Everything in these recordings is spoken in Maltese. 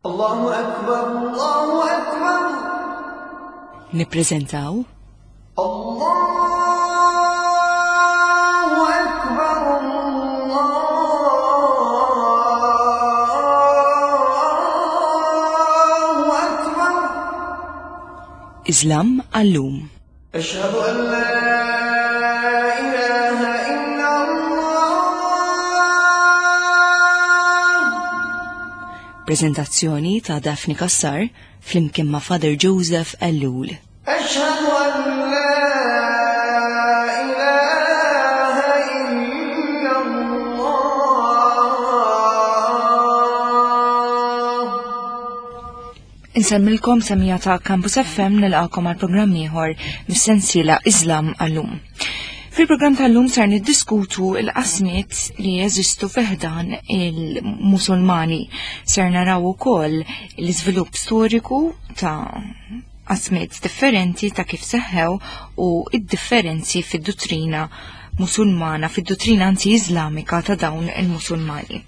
Allahu Akbar, Allahu Akbar. Nippreżentaw Allahu Akbar, Allahu Akbar. Islam għallum. Ashhadu an la ilaha illa Allah. Prezentazzjoni ta' Daphne Kassar flimkien ma' Father Joseph Ellul. Ashhadu an la ilaha illa Allah. Insemmilkom semija ta' Campus FM nilqakom għal programm ieħor mis-sensiela Islam għallum. Fil-programm tal-lum sar niddiskutu l-qasmiet li jeżistu fiħdan il-Musulmani. Ser naraw ukoll l-iżvilupp storiku ta' qasmiet differenti ta' kif seħħew u id-differenzi fid-duttrina Musulmana, fid-duttrina anzi Iżlamika ta' dawn il-Musulmani.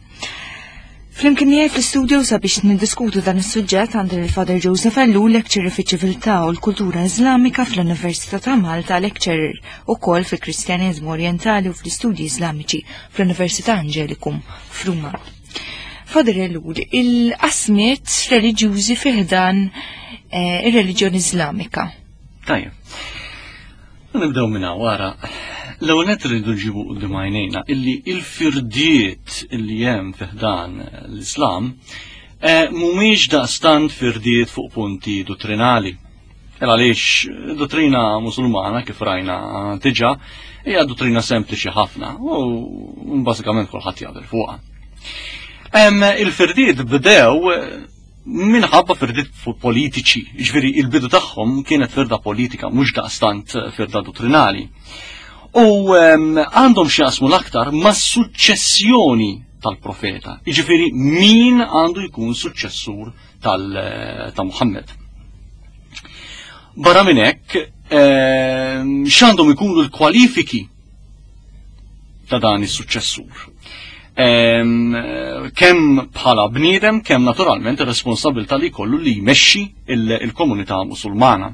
Flimkien miegħi fl-istudio sabiex niddiskutu dan is-suġġett għandi lil Father Joseph Ellul, lecturer fiċ-ċiviltà u l-kultura Iżlamika fl-Università ta' Malta, lecturer ukoll fil-Kristjaneżmu Orjentali u fl-Istudji Iżlamiċi fl-Università Angelicum f'Ruma. Father Ellul, il-qasmiet reliġjużi fi ħdan eh, ir-reliġjon Iżlamika. Tajjeb. Nibdew minn hawn wara. L-ewwel nett rridu nġibu quddiem għajnejna illi il-firdiet illi hemm fi ħdan l-Islam eh, mhumiex daqstant firdiet fuq punti dottrinali. Il għaliex dottrina musulmana kif rajna diġà hija dottrina sempliċi ħafna u bażikament kulħadd jaqbel fuqha. Il-firdiet bdew minħabba firdiet politiċi, ġifieri il-bidu tagħhom kienet firda politika, mhux daqstant firda dottrinali. U għandhom x'jaqsmu l-aktar ma' suċċessjoni tal-profeta, jiġifieri min għandu jkun suċċessur ta' Muhammad. Barra minn hekk, x'għandhom ikunu l-kwalifiki ta' dan is-suċċessur. Kemm bħala bniedem, kemm naturalment ir-responsabilità li jkollu li jmexxi il-komunità musulmana.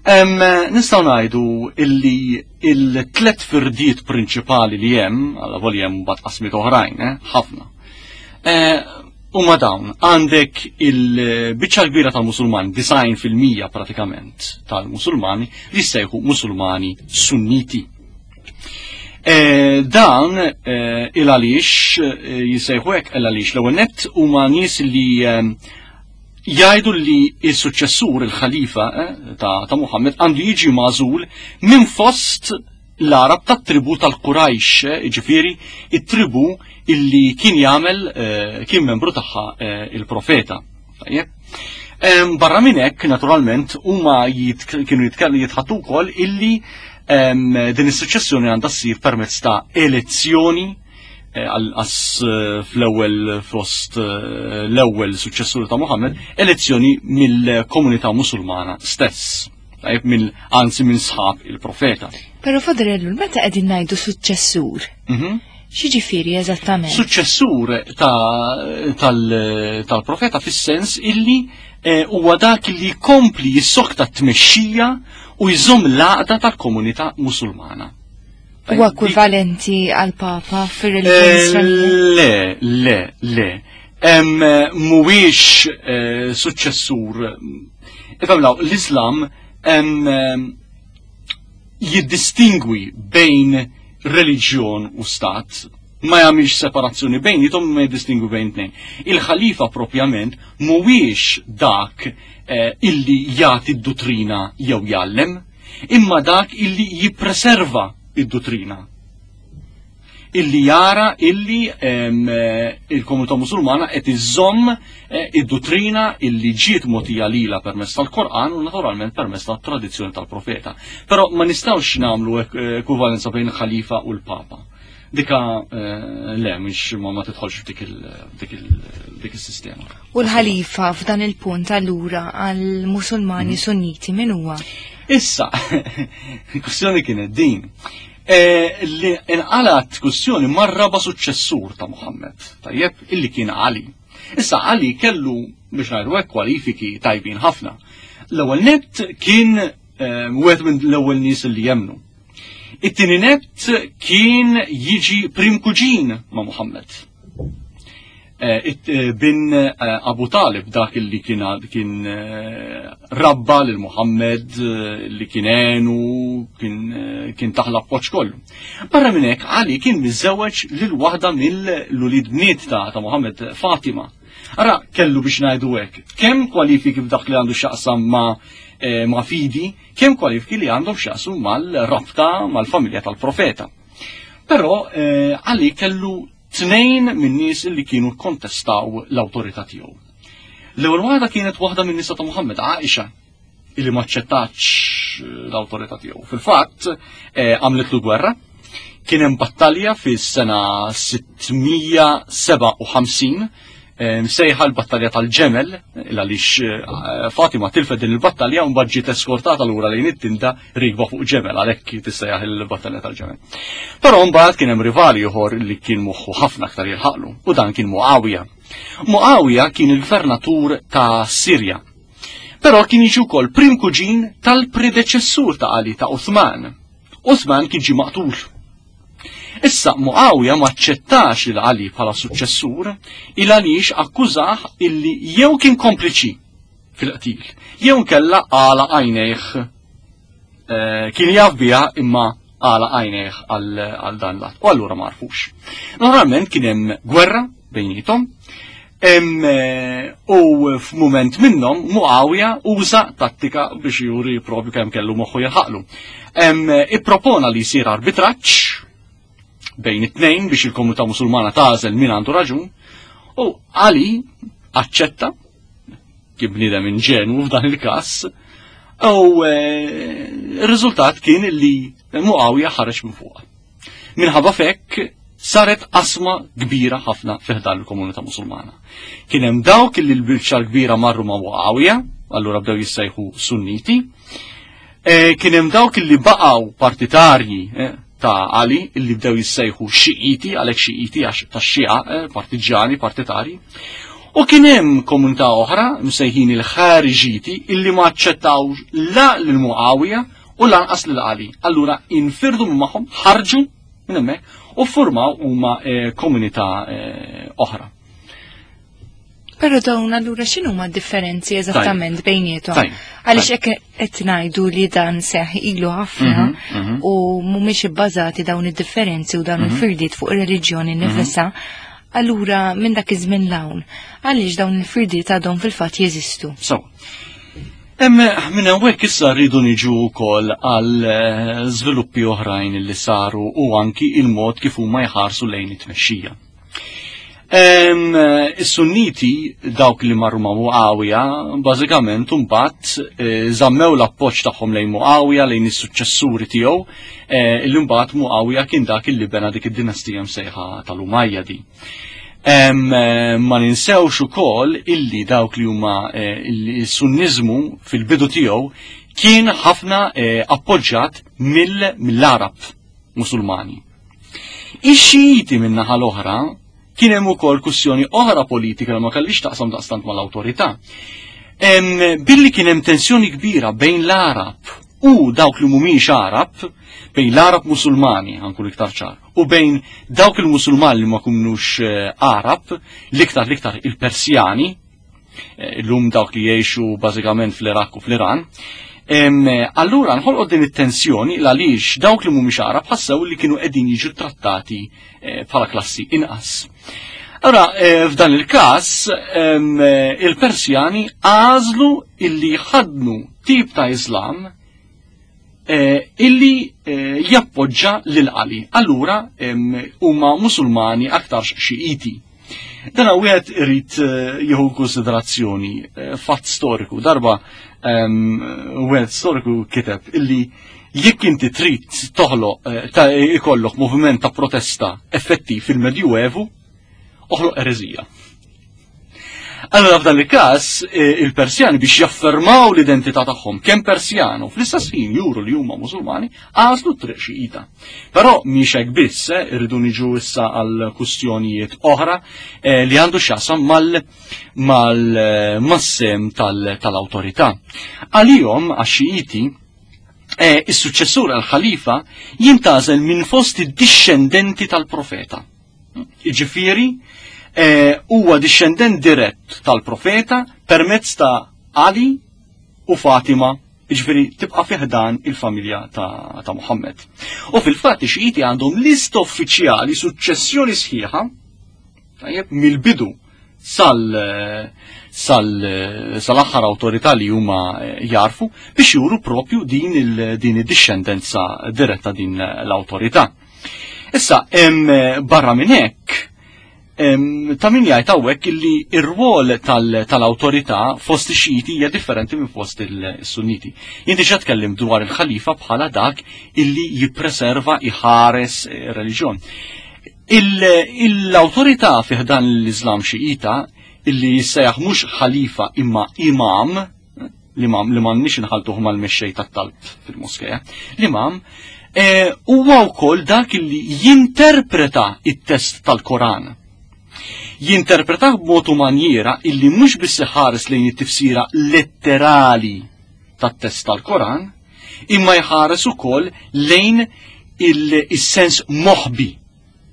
Nistgħu ngħidu illi il-tlet firdiet prinċipali li hemm, għal volja hemm mbagħad qasmiet oħrajn, eh, ħafna. Eh, huma dawn, għandek il-biċċa kbira tal-Musulmani, 90% pratikament tal-Musulmani, li jissejħu Musulmani Sunniti. Eh, dan eh, il għaliex eh, jissejħu hekk il għaliex l-ewwel nett huma nies li jgħidu li s-suċċessur il-ħalifa ta', ta Muhammad għandu jiġi magħżul minn fost l-Arab tat-tribu tal-Qurajx, ġifieri it-tribu illi kien jagħmel kien membru tagħha il-profeta. Tajjeb. Barra minn hekk, naturalment, huma kienu jitħattu wkoll illi din is-suċċessjoni għandha ssir permezz ta' elezzjoni eh, għas eh, fl-ewwel fost eh, l-ewwel suċċessur ta' Muhammad, elezzjoni mill-komunità musulmana stess. Tajjeb mill anzi minn sħab il-profeta. Però Fadrellu, meta qegħdin ngħidu suċċessur? Mhm. X'jiġifieri eżattament? Suċċessur tal-profeta fis-sens illi eh, huwa dak li jkompli jissokta t-tmexxija u jżomm l-għaqda tal-komunità musulmana. Huwa ekwivalenti għal papa fir-reliġjoni eh, Le, le, le. Mhuwiex eh, suċċessur. Ifhem l-Islam jiddistingwi bejn reliġjon u stat, ma jagħmilx separazzjoni bejnietom ma jiddistingwi bejn tnejn. Il-ħalifa propjament mhuwiex dak eh, illi jagħti d-duttrina jew jgħallem, imma dak illi jippreserva id-duttrina illi jara illi eh, il-komunità musulmana qed iżomm eh, id-duttrina illi ġiet mogħtija lila permezz tal-Kor'an u naturalment permezz tat-tradizzjoni tal-profeta. Però ma nistgħux nagħmlu ekwivalenza bejn il-ħalifa u l-papa. Dika eh, le, mhix ma ma tidħolx f'dik is-sistema. U l-ħalifa f'dan il-punt allura għall-Musulmani mhm. Sunniti min huwa? Issa, il-kwestjoni kienet din. Eh, li inqalat kwestjoni marraba suċċessur ta' Muhammad, tajjeb, illi kien Ali. Issa Ali kellu biex ngħidu hekk kwalifiki tajbin ħafna. L-ewwel nett kien eh, wieħed minn l-ewwel nies li jemnu. It-tieni nett kien jiġi prim kuġin ma' Muhammad. Eh, eh, bin eh, Abu Talib dak li kien kien rabba lil Muhammad li kien għenu kien kien taħla appoġġ kollu. Barra minn hekk Ali kien miżżewweġ lil waħda mill-ulid bniet ta' ta' Muhammad Fatima. Ara kellu biex ngħidu hekk, kemm kwalifiki f'dak li għandu x'jaqsam ma' ma' fidi, kemm kwalifiki li għandhom x'jaqsmu mal-rabta mal-familja tal-profeta. Però Ali kellu tnejn min-nies li kienu kkontestaw l-awtorità tiegħu. L-ewwel waħda kienet waħda min nisa ta' Muhammad, Aisha, illi ma ċċettatx l-awtorità tiegħu. Fil-fatt, eh, għamlitlu gwerra, kien hemm battalja fis-sena 657 msejħa l-battalja tal-ġemel, għaliex eh, Fatima tilfet din il-battalja u mbagħad ġiet eskortata lura lejn it-tinda rikba fuq ġemel għalhekk tissejjaħ il-battalja tal-ġemel. Però mbagħad kien hemm rivali ieħor li kien moħħu ħafna aktar jilħaqlu u dan kien Muawija. Muawija kien il-gvernatur ta' Sirja. Però kien jiġi wkoll prim kuġin tal-predeċessur ta' Ali ta' Uthman. Uthman kien ġie maqtul Issa Muawija ma aċċettax lil Ali bħala suċċessur il għaliex akkużah illi jew kien kompliċi fil-qtil, jew nkella għala għajnejh eh, kien jaf biha imma għala għajnejh għal dan l-att. U allura ma għarfux. Normalment kien hemm gwerra bejnietom, eh, u f'mument minnhom Muawija uża tattika biex juri propju kemm kellu moħħu jilħaqlu. Ippropona li jsir arbitraġġ bejn it-tnejn biex il-komunità musulmana tagħżel min għandu raġun u Ali aċċetta kien bniedem inġenwu f'dan il-każ u eh, r-riżultat kien li Muawija ħareġ minn fuqha. Minħabba fekk saret qasma kbira ħafna fi ħdan il-komunità Musulmana. Kien hemm dawk li l-biċċa l-kbira marru ma' Muawija, allura bdew jissejħu Sunniti. E, kien hemm dawk li baqgħu partitarji e, ta' Ali illi bdew jissejħu Xiiti, għalhekk Xiiti għax tax-Xija, e, partiġġani, partitarji. U kien hemm komunità oħra msejħin il-Ħariġiti illi ma aċċettawx la lil Muawija u lanqas lil Ali. Allura infirdu minn magħhom, ħarġu minn hemmhekk u ffurmaw huma eh, komunità eh, oħra. Però dawn allura x'inhu ma differenzi eżattament bejniethom? Għaliex hekk qed ngħidu li dan seħ ilu ħafna mhm, mhm. u mhumiex ibbażati dawn id-differenzi u dawn mhm. il-firdiet fuq ir-reliġjoni nifisha. Allura minn dak iż-żmien l-hawn, għaliex dawn il-firdiet għadhom fil-fatt jeżistu? So, Hemm minn hawnhekk issa rridu niġu wkoll għal eh, żviluppi oħrajn li saru u anki il-mod kif huma jħarsu lejn it-tmexxija. Is-Sunniti dawk li marru ma' Muawija, bażikament imbagħad eh, żammew l-appoġġ tagħhom lejn Muawija lejn is-suċċessuri tiegħu, eh, li mbagħad Muawija kien dak illi bena dik id-dinastija msejħa tal-Umayyadi. Eh, ma ninsewx ukoll illi dawk li huma eh, il-Sunniżmu fil-bidu tiegħu kien ħafna eh, appoġġat mill-Arab Musulmani. Ix-Xijiti min-naħa l-oħra kien hemm ukoll kwistjoni oħra politika li ma kellix taqsam daqstant mal-awtorità. Billi kien hemm tensjoni kbira bejn l-Arab u dawk li mhumiex Arab, bejn l-Arab Musulmani, ħankun iktar ċar, u bejn dawk il-Musulmani li ma kunux eh, Arab, l-iktar l-iktar il-Persjani, eh, l-lum dawk li jgħixu bażikament fl-Iraq u fl-Iran, eh, allura nħolqot din it-tensjoni l għaliex dawk li mhumiex Arab ħassew li kienu qegħdin jiġu trattati bħala klassi inqas. Allora, f'dan il-każ, il-Persjani għażlu illi ħadnu tip ta' Islam Eh, illi eh, jappoġġa lil Ali. Allura huma Musulmani aktarx Xiiti. Dan wieħed irid eh, jieħu konsiderazzjoni fatt storiku. Darba wieħed storiku kiteb illi jekk inti trid toħloq ta' ikollok moviment ta' protesta effettiv fil-Medjuevu, oħloq ereżija. Allora f'dan il-każ eh, il-Persjani biex jaffermaw l-identità tagħhom kemm Persjanu fl-istess ħin juru li huma Musulmani għażlu triq Xiita. Però mhix hekk biss, eh, irridu niġu issa għal kustjonijiet oħra eh, li għandu x'jaqsam mal mal-massem tal-awtorità. Għalihom għax-Xiiti is-suċċessur għal-ħalifa jintażel minn fost id-dixxendenti tal-profeta. Jiġifieri eh, huwa dixxendent dirett tal-profeta permezz ta' Ali u Fatima, jiġifieri tibqa' fiħdan il-familja ta', ta Muhammad. U fil-fatt ix-Xijiti għandhom lista uffiċjali suċċessjoni sħiħa tajjeb mill-bidu sal sal sal-aħħar awtorità li huma eh, jarfu biex juru propju din il din id-dixxendenza diretta din l-awtorità. Issa, barra minn hekk, ta' min jgħid hawnhekk illi r-rwol tal-awtorità fost ix-Xiti hija differenti minn fost il-Sunniti. Jien diġà tkellim dwar il-ħalifa bħala dak illi jippreserva iħares eh, reliġjon. L-awtorità fih dan l-Iżlam Xiita illi jissejjaħ mhux ħalifa imma imam, l-imam li m'għandniex inħaltuh mal-mexxej tat-talb fil-moskeja. L-imam eh, huwa wkoll dak li jinterpreta it-test tal-Koran. Jinterpretah b'mod u manjiera illi mhux biss iħares lejn it-tifsira letterali tat-test tal-Koran, imma jħares ukoll lejn il-sens moħbi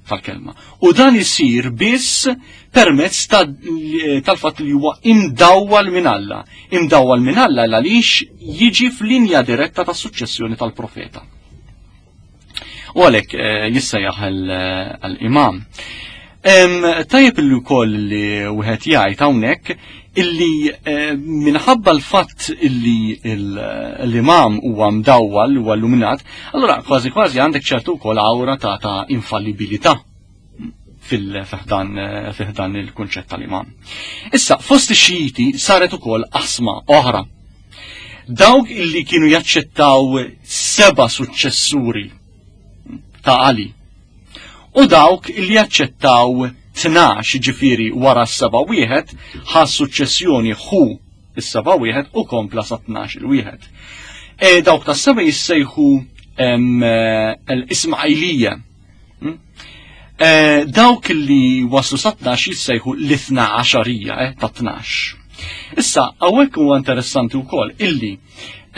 tal-kelma. U dan isir biss permezz tal-fatt li huwa imdawwal minn Alla. Imdawwal minn Alla għaliex jiġi f'linja diretta tas-suċċessjoni tal-profeta. U għalhekk eh, jissejjaħ l-imam. Tajjeb li wkoll li wieħed jgħid hawnhekk illi eh, minħabba l-fatt illi l-imam huwa mdawwal huwa illuminat, allura kważi kważi għandek ċertu wkoll awra ta' ta' infallibilità fil-fiħdan eh, il-kunċett tal-imam. Issa, fost ix-Xijiti saret ukoll asma oħra. Dawk illi kienu jaċċettaw seba' suċċessuri ta' Ali U dawk li jaċċettaw 12 ġifieri wara s-seba' wieħed ħa suċċessjoni ħu is-seba' wieħed u kompla sa 12 il-wieħed. E, dawk tas seba' jissejħu l-Ismailija. Hmm? E, dawk li waslu sa 12 jissejħu l-ithna għaxarija eh, ta' 12. Issa, hawnhekk huwa interessanti wkoll illi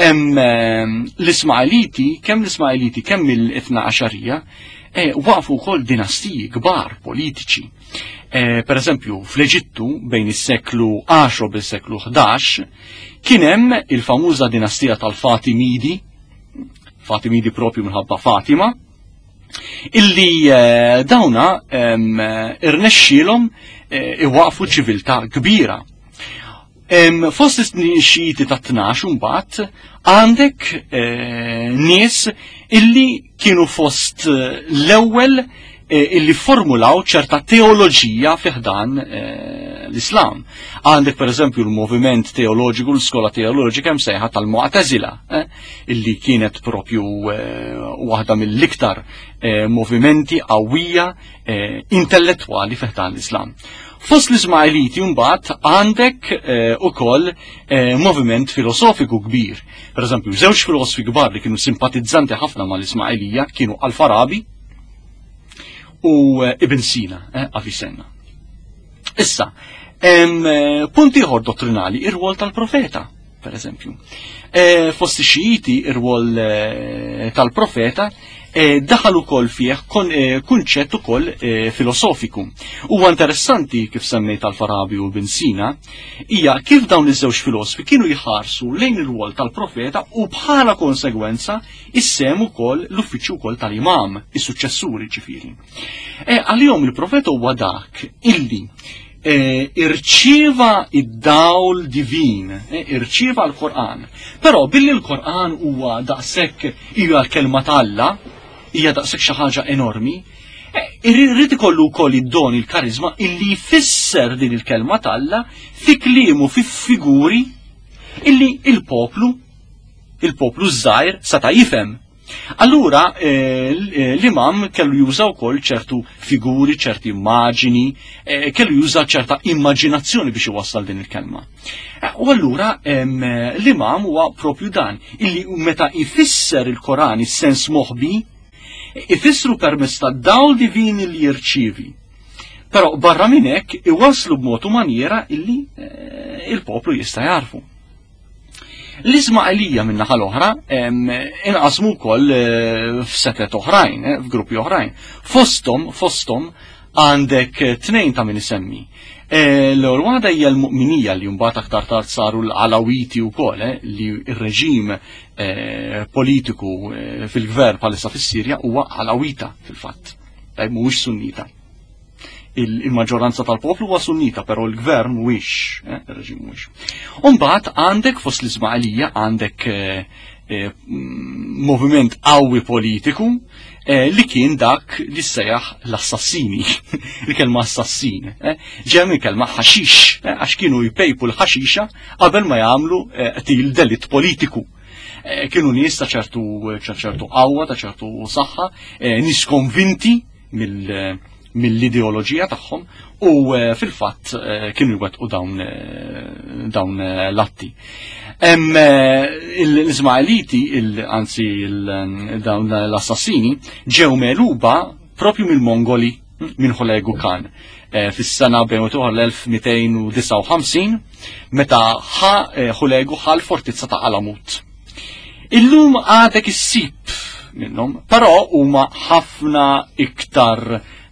L-Ismailiti, kemm l-Ismailiti, kemm il-Itna Għaxarija, eh, waqfu wkoll dinastiji kbar politiċi. Eh, per eżempju, fl-Eġittu bejn is-seklu 10 bil-seklu 11 kien hemm il-famuża dinastija tal-Fatimidi, Fatimidi propju minħabba Fatima, illi eh, dawna irnexxielhom iwaqfu ċiviltà kbira. Fost is-xiti ta' 12 mbagħad għandek eh, nies illi kienu fost eh, l-ewwel eh, illi formulaw ċerta teoloġija fiħdan l-Islam. Għandek per eżempju l-moviment teoloġiku, l-skola teoloġika msejħa tal-Mu'tazila, illi kienet propju waħda mill-iktar movimenti qawwija intellettwali fiħdan l-Islam. Fost l-Ismailiti mbagħad għandek eh, ukoll eh, moviment filosofiku kbir. Per eżempju, żewġ filosofi kbar li kienu simpatizzanti ħafna mal-Ismailija kienu Al-Farabi u eh, Ibn Sina, Avicenna. Issa, punt ieħor dottrinali, ir-rwol tal-profeta, per eżempju. Fost ix-Xijiti, ir-rwol tal-profeta Eh, daħal ukoll fih eh, kunċett ukoll eh, filosofiku. Huwa interessanti kif semmejt tal-Farabi u Ibn Sina, hija kif dawn iż-żewġ filosofi kienu jħarsu lejn il-wol tal-profeta u bħala konsegwenza issem ukoll l-uffiċċju wkoll tal-imam, is-suċċessuri ġifieri. Għalihom il-profeta huwa dak illi E, irċieva id-dawl divin, e, irċieva l-Qur'an. Però billi l-Qur'an huwa daqshekk hija l-kelma t'Alla, hija daqshekk xi ħaġa enormi, e, irrid ikollu wkoll id-don il-karizma illi jfisser din il-kelma t'Alla fi kliemu fi figuri illi il-poplu il-poplu żgħir seta' jifhem. Allura eh, eh, l-imam kellu juża wkoll ċertu figuri, ċerti immaġini, eh, kellu juża ċerta immaġinazzjoni biex iwassal din il-kelma. U allura l-imam huwa propju dan, illi meta jfisser il-Koran is-sens moħbi, ifissru permezz ta' dawl divini li jirċievi. Però barra minn hekk iwasslu b'mod u manjera illi il-poplu jista' jarfu. L-Isma'ilija min-naħa l-oħra inqasmu wkoll eh, f'setet oħrajn, eh, f'gruppi oħrajn. Fosthom, fosthom għandek eh, tnejn ta' min isemmi. L-ewwel waħda hija l-mu'minija li mbagħad aktar tard saru l-Alawiti wkoll li r-reġim politiku fil-gvern bħalissa fis-Sirja huwa Alawita fil-fatt. Tajb mhuwiex Sunnita il-maġġoranza tal-poplu huwa sunnita, però l-gvern mhuwiex, eh, ir-reġim mhuwiex. Umbagħad għandek fost l-Ismailija għandek eh, eh, moviment qawwi politiku li kien dak li sejjaħ l-assassini, il-kelma assassin. Ġew il-kelma ħaxix, għax kienu jpejpu l-ħaxixa qabel ma jagħmlu qtil delitt politiku. Kienu nies ta' ċertu ċertu qawwa, ta' ċertu saħħa, nies konvinti mill-ideoloġija tagħhom u eh, fil-fatt eh, kienu jwettqu dawn eh, dawn l-atti. L-Ismaeliti, anzi dawn l-assassini, ġew meluba propju mill-Mongoli minn Ħolegu Khan fis-sena bejn l-1259 meta ħa Ħolegu ħa l-fortizza ta' Alamut. Illum għadek issib minnhom, però huma ħafna iktar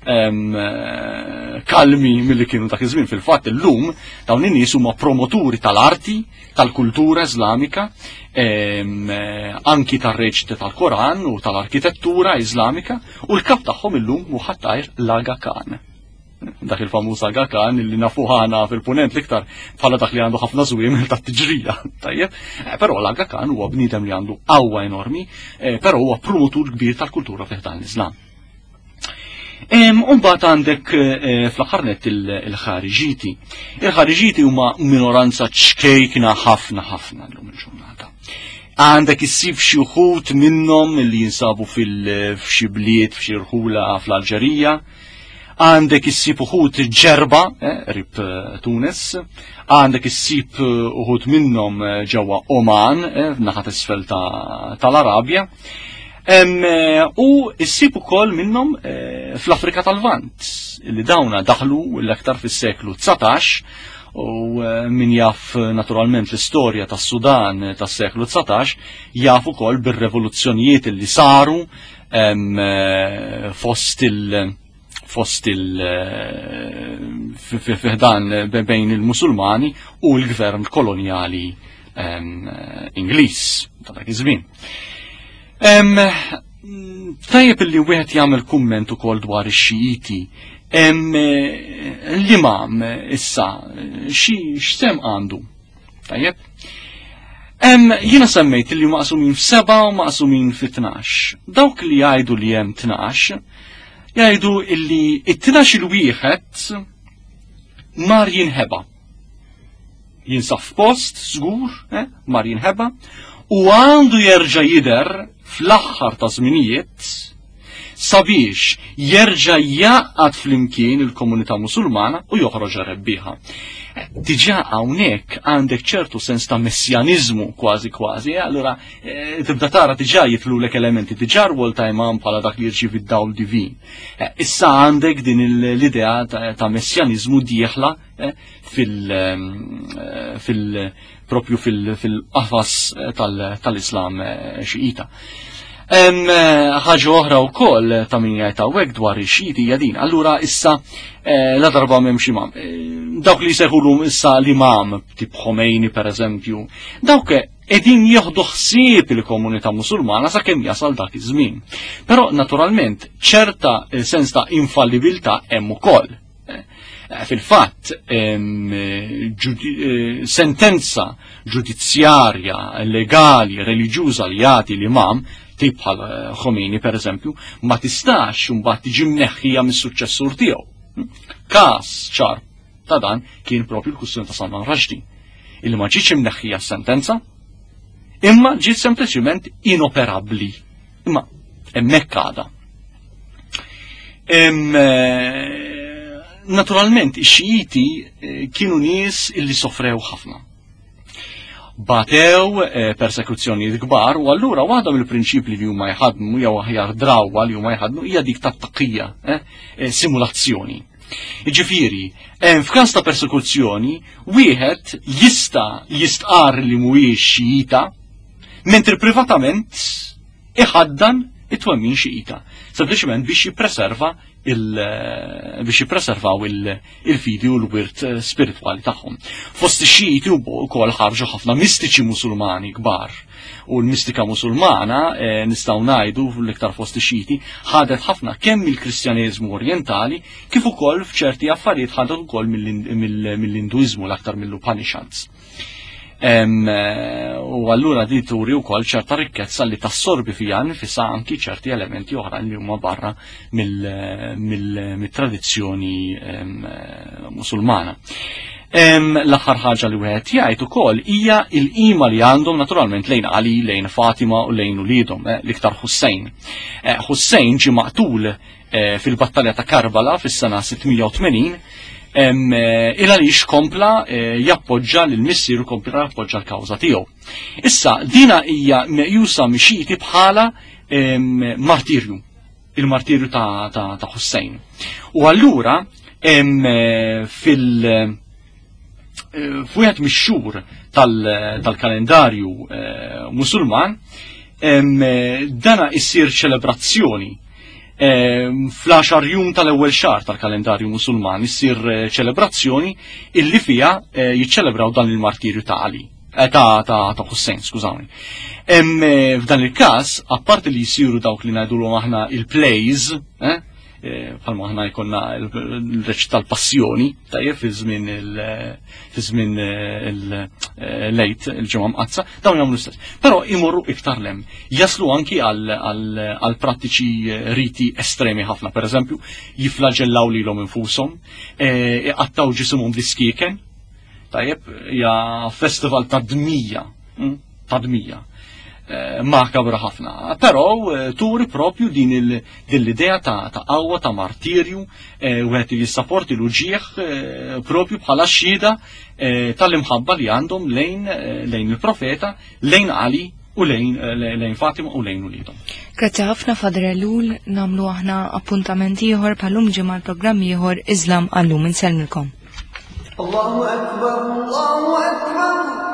eh, kalmi milli kienu dak iż-żmien. Fil-fatt illum dawn in-nies huma promoturi tal-arti, tal-kultura Iżlamika, eh, anki tar-reċti tal-Koran u tal-arkitettura Iżlamika, u l-kap tagħhom illum hu ħattajr l-Aga Khan dak il-famuż Aga Khan li nafu ħana fil-punent l-iktar bħala dak li għandu ħafna żwiemel ta' tiġrija. Tajjeb, eh, però l-Aga Khan huwa bniedem li għandu qawwa enormi, eh, però huwa promotur kbir tal-kultura fih dan l-Islam. Umbat għandek eh, fl-aħħar nett il-ħariġiti. Il-ħariġiti huma minoranza ċkejkna ħafna ħafna llum il-ġurnata. Għandek issib xi wħud minnhom li jinsabu fil-xi bliet f'xi rħula fl-Alġerija, Għandek issib uħud ġerba, eh, rib eh, Tunis, għandek issib eh, uħud minnhom ġewwa Oman, naħat isfel tal-Arabja, u issib ukoll minnhom fl-Afrika tal-Lvant, li dawna daħlu l-aktar fis-seklu 19 u min jaf naturalment l-istorja tas-Sudan tas-seklu 19 jaf ukoll bir-revoluzzjonijiet li saru fost il- fost il fiħdan bejn il-Musulmani u l-gvern koloniali Ingliż ta' dak iż-żmien. Tajjeb li wieħed jagħmel kumment ukoll dwar ix-Xijiti. L-imam issa xi x'sem għandu? Tajjeb? Jiena semmejt li maqsumin f'seba u maqsumin fi tnax. Dawk li jgħidu li hemm tnax, jgħidu illi it-tnax il-wieħed mar jinħeba. Jinsab f'post, żgur, eh, mar jinħeba, u għandu jerġa' jidher fl-aħħar ta' żminijiet sabiex jerġa' jgħaqqad flimkien il-komunità Musulmana u joħroġha rebbieħa. Diġà hawnhekk għandek ċertu sens ta' messjaniżmu kważi kważi, eh, allura eh, tibda tara diġà jitlulek elementi, diġà rwol ta' imam bħala dak li jirċievi d-dawl divin. Eh, issa għandek din l-idea ta' messjaniżmu dieħla fil, fil propju fil-qafas tal-Islam Xiita. Ħaġa oħra wkoll ta' min jgħid hawnhekk dwar ix-Xiiti hija din. Allura issa la darba m'hemmx imam. Dawk li jsejħulhom issa l-imam, tip Khomeini pereżempju, dawk qegħdin jieħdu ħsieb il-komunità Musulmana sakemm jasal dak iż-żmien. Però naturalment ċerta sens ta' infallibilità hemm ukoll. Eh, fil-fatt, eh, sentenza ġudizzjarja, legali, reliġjuża li jagħti l-imam, tip bħal eh, Khomeini per eżempju, ma tistax imbagħad tiġi mneħħija mis-suċċessur tiegħu. Każ ċar ta' dan kien propju l-kwistjoni ta' Salman Rushdie, illi ma ġietx imneħħija s-sentenza, imma ġiet sempliċiment inoperabbli. Imma hemmhekk għadha. Eh, naturalment, ix-Xijiti eh, kienu nies illi sofrew ħafna. Batew eh, persekuzzjonijiet kbar u allura waħda mill-prinċipli li huma jħadmu jew aħjar drawwa li huma jħadmu hija dik tat-taqija, simulazzjoni. Jiġifieri, f'każ ta' persekuzzjoni, wieħed jista' jistqar li mhuwiex Xijita, mentri privatament iħaddan it-twemmin Xiita, sempliċement biex jippreserva il biex jippreservaw il-fidi u l-wirt eh, spiritwali tagħhom. Fost ix-Xiiti wkoll ħarġu ħafna mistiċi Musulmani kbar. U l-mistika Musulmana eh, nistgħu ngħidu l-iktar fost ix-Xiiti ħadet ħafna kemm mill-Kristjaneżmu Orjentali kif ukoll f'ċerti affarijiet ħadet ukoll mill-Induiżmu l-aktar mill-Upanishads. Eh, u allura di turi wkoll ċerta rikkezza li tassorbi fija nfisha anki ċerti elementi oħra li huma barra mill-tradizzjoni eh, musulmana. L-aħħar ħaġa li wieħed jgħid ukoll hija l-qima li għandhom naturalment lejn Ali, lejn Fatima u lejn uliedhom, eh, l-iktar Hussein. Hussein ġie maqtul Eh, fil-battalja ta' Karbala fis-sena 680 eh, il għaliex kompla eh, jappoġġa lil missieru kompla jappoġġa l-kawża tiegħu. Issa dina hija meqjusa mixiti bħala martirju, il-martirju ta', ta, ta Hussein. U allura fil- f'wieħed mix-xhur tal-kalendarju Musulman dana issir ċelebrazzjoni fl-10 jum tal-ewwel xahar tal-kalendarju Musulman issir eh, ċelebrazzjoni illi fiha eh, jiċċelebraw dan il-martirju ta' Ali eh, ta' ta' ta' Hussein, skużawni. F'dan il-każ, apparti li jsiru dawk li ngħidulhom aħna il-plays, Eh, bħalma aħna jkollna l-reċ tal-passjoni, tajjeb fi żmien fi żmien eh, eh, lejt il-ġimgħa mqazza, dawn jagħmlu stess. Però imorru iktar lem, jaslu anki għal prattiċi riti estremi ħafna, pereżempju, jiflaġellaw lilhom infushom, iqattaw ġisimhom bl-iskieken, tajjeb, hija festival ta' dmija. Hm? Ta' dmija. Eh, makabra ħafna. Però eh, turi propju din l-idea ta' qawwa ta' martirju eh, wieħed jissaporti l-uġieħ propju bħala xhieda tal-imħabba li għandhom lejn lejn il-profeta, lejn Ali u lejn lejn Fatima u lejn uliedhom. Grazzi ħafna Father Elul, namlu aħna appuntament ieħor bħalum ġimgħa l-programm ieħor Iżlam għallum insellmilkom. Allahu Akbar, Allahu Akbar.